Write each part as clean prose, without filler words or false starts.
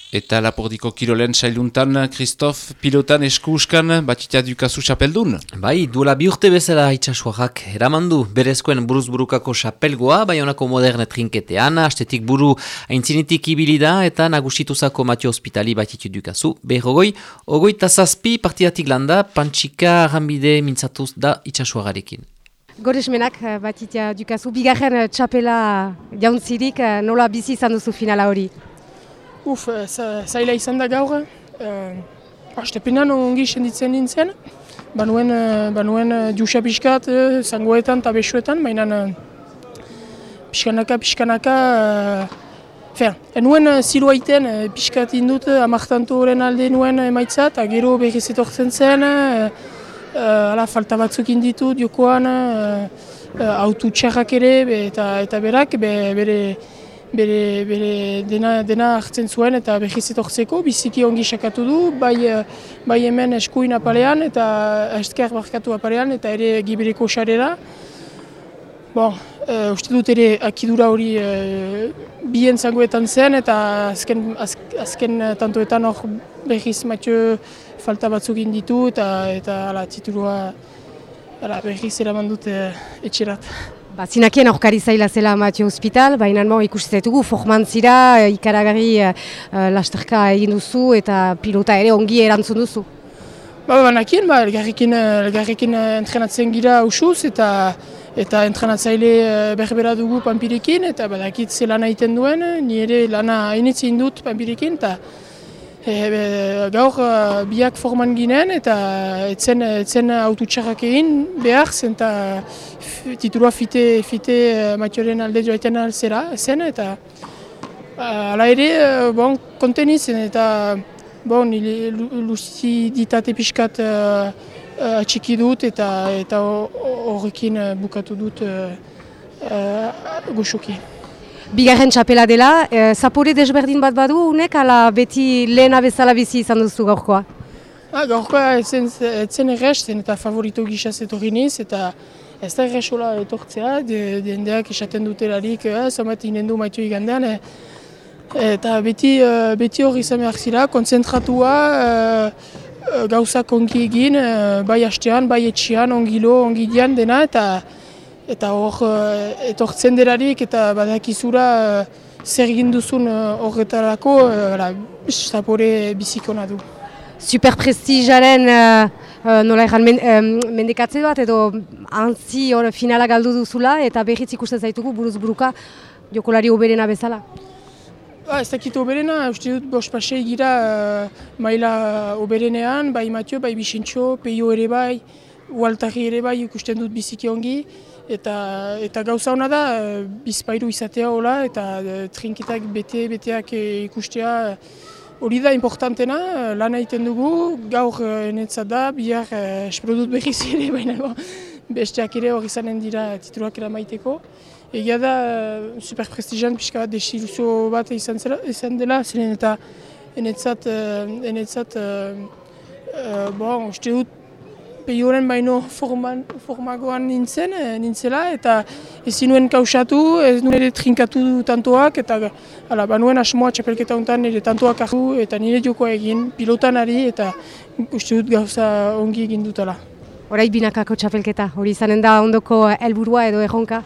Eta Lapordiko kirolen sailuntan, Christophe, pilotan eskuskan, Batxitea Dukazu xapeldun? Bai, duela 2 urte bezala itxasuarrak eramandu berezkoen buruzburukako xapelgoa, Baionako moderne trinketean, astetik buru aintzinitik ibilida eta nagusituzako Matio Hospitali Batxitea Dukazu. Berrogoi, 27 partidatik landa, Pantxika Arranbide mintzatuz da itxasuarrarekin. Goresmenak Batxitea Dukazu, bigarren txapela jauntzirik, nola bizi izan duzu finala hori? Zaila izan da gaur. Astepenan ongi senditzen nintzen. Banuen juxa pixkat, zangoetan eta besuetan, baina pixkanaka. Enuen ziloa iten pixkat indut, amartantu horren alde nuen emaitza, eta gero berriz etortzen zen, falta batzuk inditut jokoan, autu txarrak ere, eta berak bere dena hartzen zuen eta behiz etortzeko, biziki ongi sakatu du, bai hemen eskuin apalean eta esker barkatu apalean eta ere gibereko sarera. Uste dut ere akidura hori bien zangoetan zen eta azken tantoetan hor behiz Mathieu falta batzuk inditu eta titulua behiz eraman dut etxerat. Zinakien aurkari zaila zela Matio Hospital, baina ikusten zaitugu formantzira, ikaragarri lasterka egin duzu eta pilota ere ongi erantzun duzu. Banakien, elgarrekin entrenatzen gira usuz eta entrenatzaile berbera dugu Panpirekin eta badakit ze lana egiten duen, ni ere lana hainitzen dut Panpirekin eta gaur biak forman ginen eta etzen autotxarrak egin behar zen eta titulua fite Matioren alde joaiten alzera zen eta ala ere konten izan eta luziditate pixkat atxiki dut eta horrekin bukatu dut goxoki. Bigarren txapela dela, zapore desberdin bat badu, unek ala beti lehena bezala bizi izan duzu gaurkoa? Gaurkoa etzen errez, zen eta favorito gisa etorri niz, eta ez da errezola etortzea, jendeak esaten dutelarik, zamat inen du Matio igandean, eta beti hori izan behar zira, konzentratua, gauzak ongi egin, bai hastean, bai etxean, ongi dian dena, eta hor etortzen delarik eta badakizura zer egin duzun horretarako zapore bizikona du. Superprestijaren nola erran mendekatze bat edo antzi finala galdu duzula eta berriz ikusten zaitugu buruz buruka jokolari oberena bezala? Ez dakit oberena, uste dut bospasei gira maila oberenean, bai Matio, bai Bixentxo, Peio ere bai, Ualtari ere bai ikusten dut biziki ongi. Eta gauza hona da, bizpairu izatea hola eta trinketak beteak ikustea hori da importantena, lan egiten dugu, gaur enetzat da, bihar espero dut berriz ere, baina besteak ere hori izanen dira tituluak eramaiteko. Egia da, superprestigian pixka bat desiluzio bat izan dela, zeren eta enetzat, uste dut, Peioren baino formagoan nintzela eta ezin nuen kausatu, ez nuen ere trinkatu tantoak eta banuen asmoa txapelketa honetan nire tantoak hartu eta nire jokoa egin pilotan ari eta uste dut gauza ongi egin dutela. Horai binakako txapelketa, hori izanen da ondoko helburua edo erronka?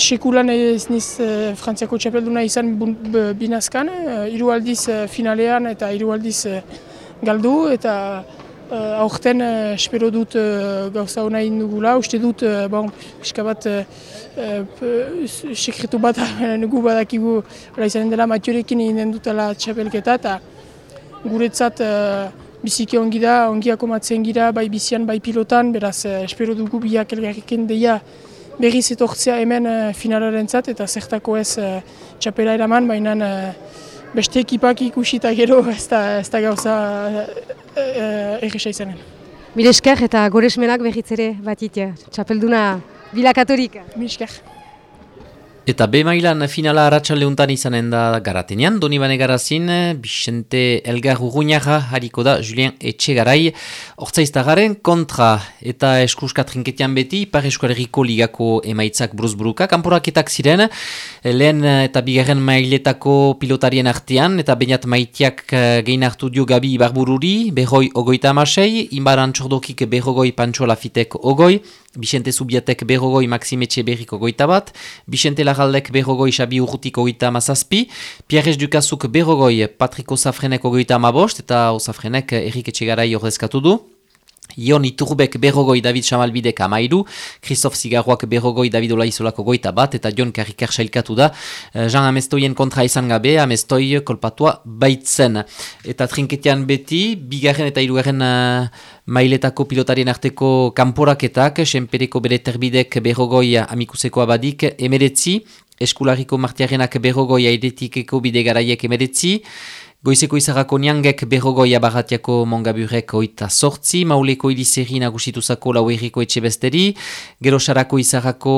Sekulan ez niz Frantziako txapelduna izan binazkan, 3 aldiz finalean eta 3 aldiz galdu eta aurten espero dut gauza hona egin dugula. Uste dut, pixka bat sekretu bat nugu badakigu izanen dela Matiorekin egin dutela txapelketa eta guretzat biziki ongi da, ongi akomatzen gira, bai bizian, bai pilotan, beraz espero dugu biak elgarrekin deia berriz etortzea hemen finalarentzat eta zertako ez txapela eraman, baina beste ekipak ikusita gero ez da gauza erresa izanen. Mil esker eta goresmenak berriz ere Batxitea, txapelduna bilakaturik. Mil esker. Eta B mailan finala arratsaldeuntan izanen da Garatenean, Donibane Garazin, Bixente Elgar Urruñaga hariko da Julien Etxegarai Hortzaiztagaren kontra. Eta eskuska trinketian beti, Ipar Eskualerriko ligako emaitzak buruz-buruka, kanporaketak ziren, lehen eta bigarren mailetako pilotarien artean, eta Beñat Maitiak gehin hartu dio Gabi Ibarbururi, berroi 36, Inbaran Txordokik berrogoi Pantxo Lafitek ogoi, Bixente Zubiatek berrogoi Maxime Etxeberrik 21, Bixente Larraldek berrogoi Xabi Urrutik 37, Pierres Dukazuk berrogoi Patrick Osafrenek 35, eta Osafrenek Erik Etxegarai ordezkatu du. Ion Iturbek berrogoi David Chamalbidek 13, Christophe Zigarroak berrogoi David Olaizolako 21, eta Jon Karrikar sailkatu da. Jean Amestoien kontra izan gabe, Amestoi kolpatua baitzen. Eta trinketian beti, bigarren eta hirugarren mailetako pilotarien arteko kanporaketak, Senpereko bere terbidek berrogoi Amikuseko abadik 19, Eskulariko Martiarenak berrogoi Airetikeko bide garaiek 19, Goizeko izarrako niangek berrogoi Abarratiako Mongaburek 28, Mauleko Irizerri nagusituzako Lauerriko Etxebesteri, Gerosarako izarrako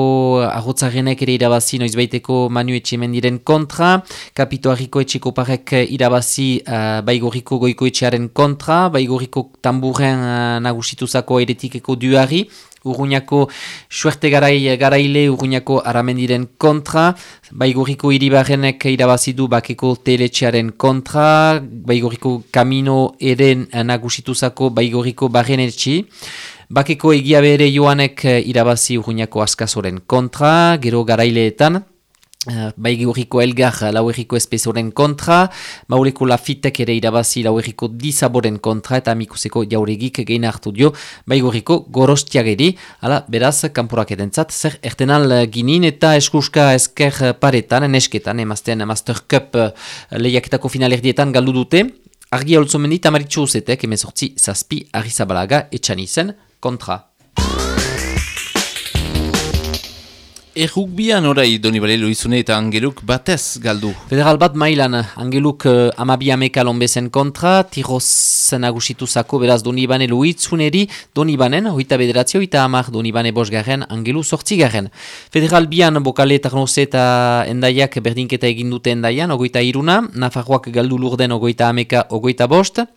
Arrotzarenek ere irabazi noizbaiteko Manu Etxemendiren kontra, Kapitoarriko Etxekoparek irabazi Baigorriko Goiko Etxearen kontra, Baigorriko Tamburren nagusituzako Airetikeko Duari, Urruñako Suerte garaile Urruñako Aramendiren kontra, Baigorriko Iribarrenek irabazidu Bakeko Teletxearen kontra, Baigorriko Kamino eren nagusituzako Baigorriko Barrenetxi, Bakeko Egia bere Joanek irabazi Urruñako Askazoren kontra, gero garaileetan, Baigorriko Elgar Lauerriko Espezoren kontra, Mauleko Lafitek ere irabazi Lauerriko Dizaboren kontra, eta Amikuseko Jauregik gehin hartu dio Baigorriko Gorostiageri. Hala, beraz, kanporaketentzat zer ertenal ginin, eta eskuska esker paretan, nesketan, emazten Master Cup lehiaketako finalerdietan galdu dute. Argia Olzomendi Tamaritxo Uzetek, 18-7, Arrizabalaga Etxanizen kontra. Errukbian orai Donibane Loizune eta Angeluk batez galdu. Federal bat mailan, Angeluk 12 lonbezen kontra, Tiroz nagusituzako beraz Donibane Loizuneri, Donibanen, 29, 30, Donibane 5, Angelu 8. Federal bian Bokale, Tarnoze eta Endaiak berdinketa egindute Endaian, 23, Nafarroak galdu Lurden 30, 25,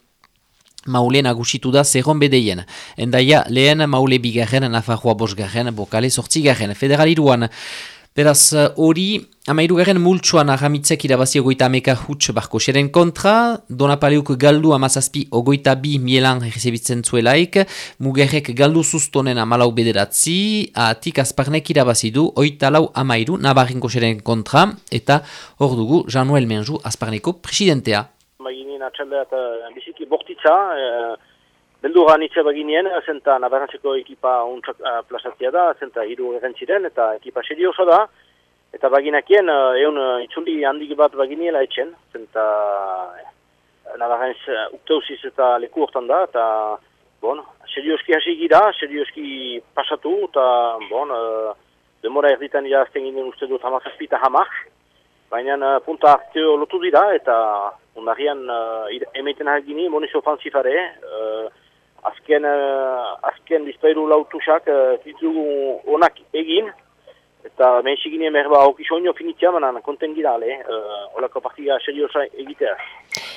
Maule nagusitu da Zerron bedeien. Endaia lehen Maule 2, Nafarroa 5, Bokale 8. Federal 2. Beraz hori, 13 multsuan Aramitzek irabazi 30 huts Barkoseren kontra, Donapaleuk galdu 17, 22 Mielan errezebitzen zuelaik, Mugerrek galdu Sustonen 14, Atik Azparnek irabazi du 34 Nabarrinkoseren kontra, eta hor dugu Jean-Noël Menjou Azparneko presidentea. Baginen atxaldeat biziki bortitza, beldurra nitze baginien, zenta Nabarrantzeko ekipa untsak plazatzea da, zenta hiru errentziren, eta ekipa serioso da, eta baginakien egun itzuli handik bat baginiela etxen, zenta Nabarrantz ukteusiz eta leku hortan da, eta bon, serioski hasi gira, serioski pasatu, eta bon, demora erditan irazten ginen uste dut 17 eta 10, baina punta harteo lotu dira, eta ondarrian emeiten hagini, moniz ofanzifare, azken bizpairu lautusak ditugu onak egin, eta menxik ginen merba okisoño finitzea, banan konten gira, olako partida seriosa egitea.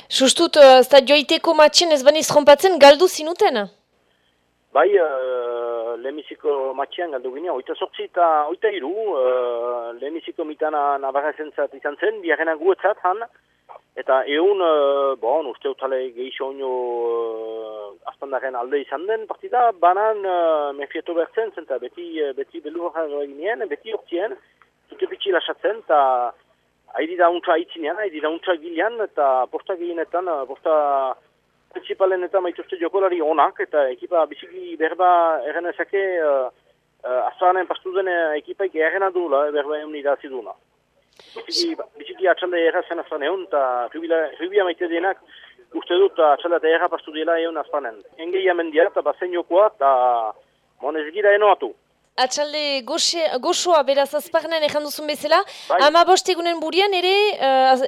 Sustut, zta joiteko matxen ez baniz trompatzen galdu zinuten? Bai, lehenbiziko matxean galdu ginen, 28 eta 23, lehenbiziko mitana Nabarrentzat izan zen, biharrena guetzat han, eta egun, uste utale gehixoño azpandaren alde izan den partida, banan mefieto bertzen, zenta beti belurra ginen, beti hortien, zute pitsi lasatzen, eta haidi da untsa aitzinean, haidi da untsa gilean, eta posta gehienetan, posta principalen eta maituzte jokolari onak, eta ekipa biziki berba errenezake azparen pastu den ekipaik errena duela, berba egun idazi duela. Biziki atxalde errazen azpan egun, eta rubia maite denak uste dut atxalde eta erra pastu dela egun azpanen. Engei amendia eta bazen jokoa, eta ez gira enoatu. Atxalde goxoa beraz azparnen ejan duzun bezala, bai. 15 egunen burian ere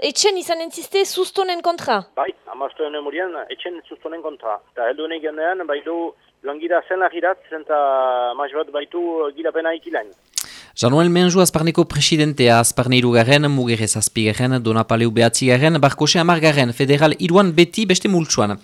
etxen izan entziste Sustonen kontra? Bai, 15 egunen burian etxen Sustonen kontra. Eta heldu honek gendean baitu joan gira zen lagirat, zenta maiz bat baitu girapena ikilain. Januel Menju Azparneko presidentea, Azparne irugarren, Mugerre zazpigarren, Donapaleu behatzigarren, Barkose amargarren, federal iruan beti beste multsuan.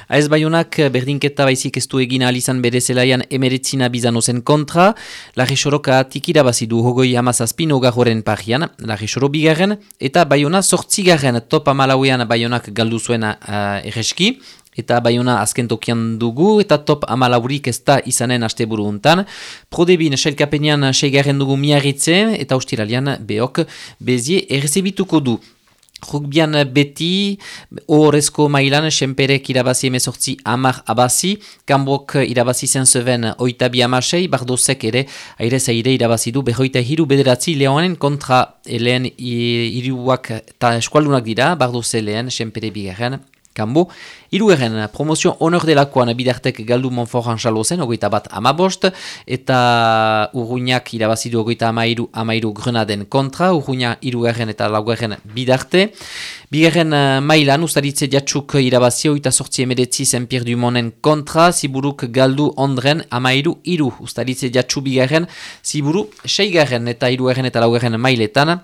AS Baionak berdinketa baizik ez du egin alizan bere zelaian emeretzina bizanozen kontra, Larri Soroka tikira bazidu hogoi hamazazpin ogarroren parian, Larri Soro bigarren, eta Baiona sortzigarren top amalauean Baionak galdu zuena erreski, eta Baiona azken tokian dugu, eta top amalaurik ez da izanen asteburu untan. Prodebin sailkapenean seigarren dugu Miarritze, eta ustiralian Beok Bezie errezebituko du. Rugbian beti, horrezko mailan, Senperek irabazi emezortzi amar abazi, Kambok irabazi zen zeven oitabi amasei, Bardozek ere, aire zaire irabazi du, berroita hiru bederatzi Leonen kontra lehen hiruak eta eskualdunak dira, Bardoze lehen, Senpere bigarren. Kambo, irugarren promozio honor delakoan bidartek galdu Monfort Anxalozen, 21-15, eta Urruñak irabazidu 22-13 Grenaden kontra, Urruña irugarren eta laugarren bidarte. Bigarren mailan, Ustaritze Jatxuk irabazio, 28-19 Saint-Pierre du Monen kontra, Ziburuk galdu Ondren 13-3, Ustaritze Jatxu bigarren, Ziburu 6garren eta irugarren eta laugarren mailetan.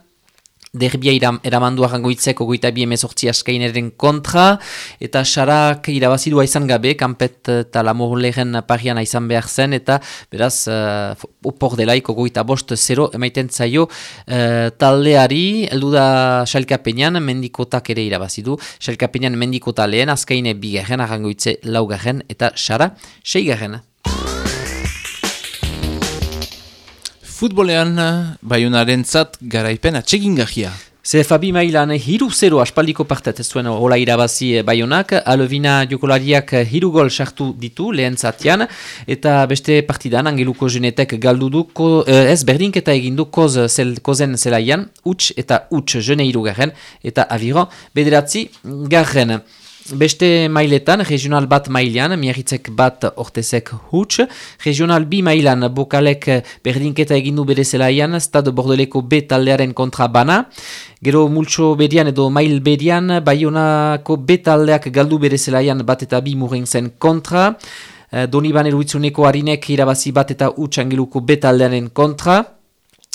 Derbia eramandu arrangoitzeko 22-18 askaineren kontra, eta Sarak irabazidua izan gabe, Kampet eta Lamorleren parian izan behar zen, eta beraz, opor delaiko 25-0 emaiten zaio taldeari, heldu da Xalkapenean, Mendikotak ere irabazidu, Xalkapenean Mendikota lehen, askaine bigarren, arrangoitze laugarren, eta Sara 6garren. Futbolean, Baionaren zat garaipen atsegingarria. CFB mailan 3-0 aspaldiko partet ez zuen hola irabazi Baionak, Alvina jokolariak 3 gol sartu ditu lehen zatian, eta beste partidan Angeluko Jenetek galdu du, ez berdinketa egindu kozen zelaian, huts eta huts jene irugarren, eta Aviron bederatzi garren. Beste mailetan, regional bat mailean, Miarritzek bat Ortezek huts, regional bi mailan Bokalek berdinketa egindu bere zelaian, Stade Bordeleko B taldearen kontra bana, gero multso berian edo mail berian, Baionako B taldeak galdu bere zelaian bat eta bi Murenzen kontra, Donibane Luitzuneko harinek irabazi bat eta huts Angeluko B taldearen kontra,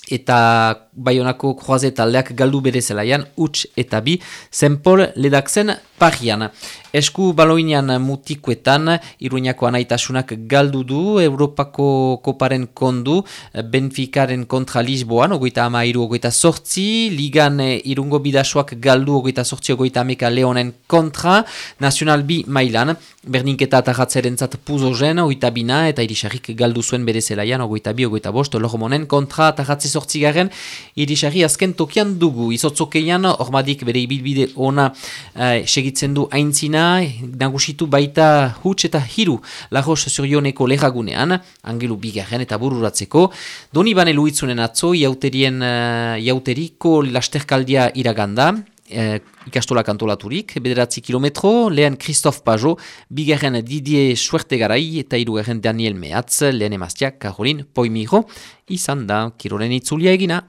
eta Baionako Kroaze taldeak galdu bere zelaian, huts eta bi, Zenpol Ledakzen parian. Esku baloinean mutikoetan, Iruñako anaitasunak galdu du, Europako koparen kondu, Benficaren kontra Lisboan, 23-28, Ligan Irungo bidasoak galdu 28-30 Leonen kontra, Nacional B mailan, berdinketa atarratzerentzat Puzogen, 22, eta Irisarrik galdu zuen bere zelaian, 22-25, Lormonen kontra atarratze 8 Irisarri azken tokian dugu, izotzokeian, ormadik bere ibilbide ona segitzen du aintzina, nagusitu baita huts eta hiru Lajos Zurioneko lehagunean, Angelu bigarren eta bururatzeko, Donibane Luitzunen atzo, jauteriko lasterkaldia iraganda, ikastola kantolaturik, 9 kilometro, lehen Christophe Pajot, bigarren Didier Suertegarai eta hirugarren Daniel Mehatz, lehen emazteak Caroline Poimiro, izan da, kirolen itzulia egina.